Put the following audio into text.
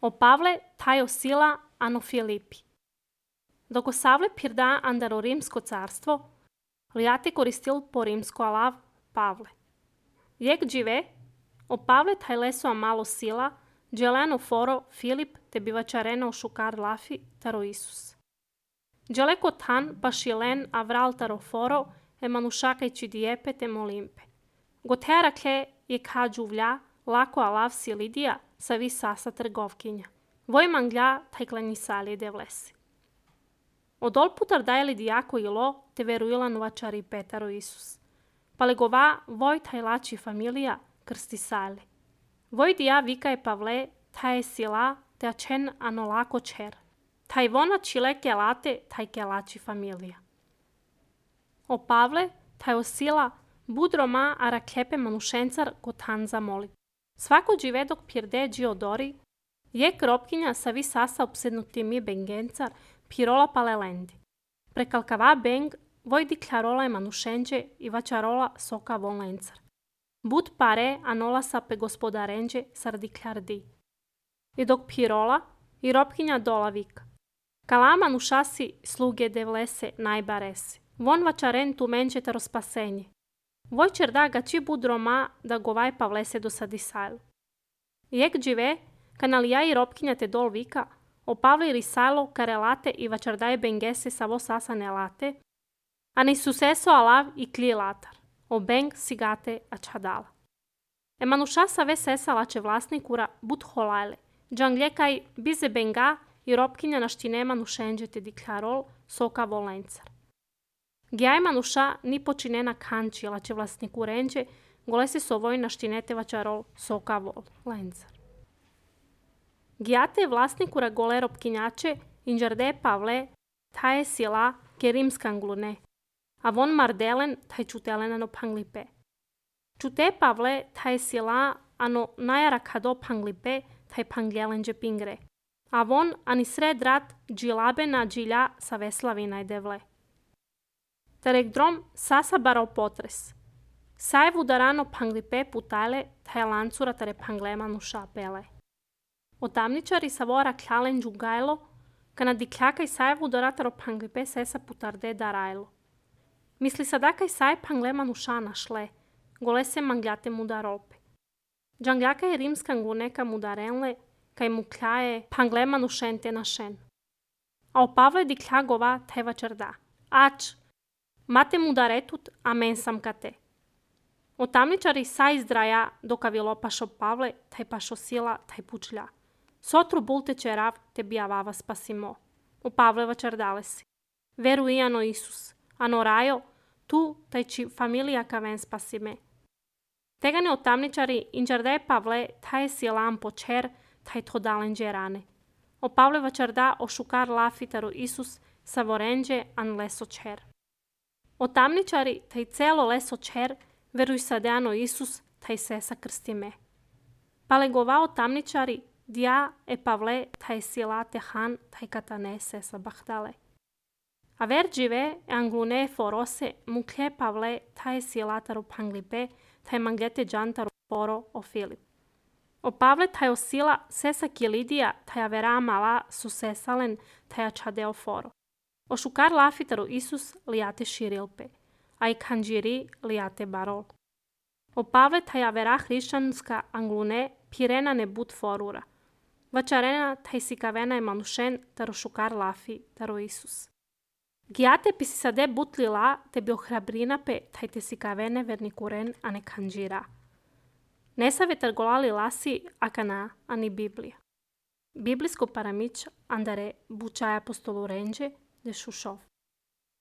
O Pavle tajo sila ano Filipi. Dok osavle pirda andaro rimsko carstvo, liate koristil po rimsko alav Pavle. Jek džive, o Pavle taj leso a malo sila, dželeno foro Filip te bivačareno šukar lafi taro Isus. Dželeko tan pa šilen avral taro foro e manušakaj čidiepe te molimpe. Gotera kle je kađuvlja lako alav silidija sa vi sasa trgovkinja. Voj manglja taj klanisali de vlesi. Odol putar dajeli dijako ilo te veruilan vačari Petaro Isus. Palegova voj taj lači familija krsti sali. Voj dija vika je Pavle taj sila te ačen ano lako čer. Taj vona čile kelate taj kelači familija. O Pavle taj osila budro ma ara klepe manušencar gotan zamolit. Svako džive dok pirde džiodori, je kropkinja sa vi sasa obsednuti mi bengencar pirola palelendi. Prekalkava beng voj diklarola je manušenđe i vačarola soka volencar. Bud pare anola sa pe gospodarenđe sar diklardi. I dok pirola i ropkinja dola vika. Kala manušasi sluge devlese najbaresi. Von vačaren tu menđe taro spasenje. Voj čerda gači budro ma da govaj Pavlese do sadisajlu. Jek džive, kanalija i ropkinja te dol vika, o Pavle risalo karelate i vačardaje bengese sa vo sasane late, a ni suseso alav i kli latar, o beng sigate a čadala. E manuša sa ve sesa lače vlasnikura bud holajle, džangljekaj bize benga i ropkinja naštine manušenđe te diklarol soka volencar. Gjaj manuša ni počinena kanči lače vlasniku renđe, gole se sovoj naštinete vačarol soka volencar. Gjate vlasnikura gole ropkinjače inđarde Pavle taje sila ke rimskan glune, a von mardelen taj čutelenano panglipe. Čute Pavle taje sila ano najara kado panglipe taj pangjelenđe pingre, a von ani sred rat džilabe na džilja sa veslavina i devle. Tarek drom sasa barao potres. Sajev udarano panglipe putajle taj lancura tare panglema nuša pele. Otamničari sa vora kljalen džugajlo, kana dikljaka sajev udarataro panglipe sesa putarde darajlo. Misli sadaka saj panglema nuša našle, gole se mangljate mudarolpe. Džangljaka je rimskan guneka mudarenle, kaj mu kljaje panglema nušente našen. A o Pavle dikljagova taj vačarda. Ač, mate mudaretut, a men sam kate. Otamničari sa izdraja doka vilo pašo Pavle, taj pašo sila, taj pučlja. Sotru bulte čerav te bijavava spasimo. O Pavle vačardale si. Veru i ano Isus. Ano rajo, tu taj či familija kaven spasime. Tegane otamničari inđarde Pavle taj silam počer, taj to dalenđe rane. O Pavle vačarda o šukar lafitaru Isus sa vorenđe an leso čer. Otamničari taj celo leso čer veruj sadeano Isus taj sesa krstime. Palegova otamničari dja e Pavle taj sila tehan taj katane sesa bahdale. A ver džive e anglune forose muklje Pavle taj sila taro panglipe taj manglete džantaro foro o Filip. O Pavle taj osila sesa kilidija taj avera mala su sesalen taj čadeo foro. O šukar lafitaru Isus lijate širilpe, a i kanđiri lijate barol. O Pavle taj avera hrišćanska anglune pirena ne bud forura. Vačarena taj sikavena je manušen taro šukar lafi taro Isus. Gjate pisi sade butlila te bi ohrabrinape taj te sikavene vernikuren a ne kanđira. Nesavetar golali lasi akana ani Biblija. Biblijsko paramić andare bučaja apostolu renđe de šušov.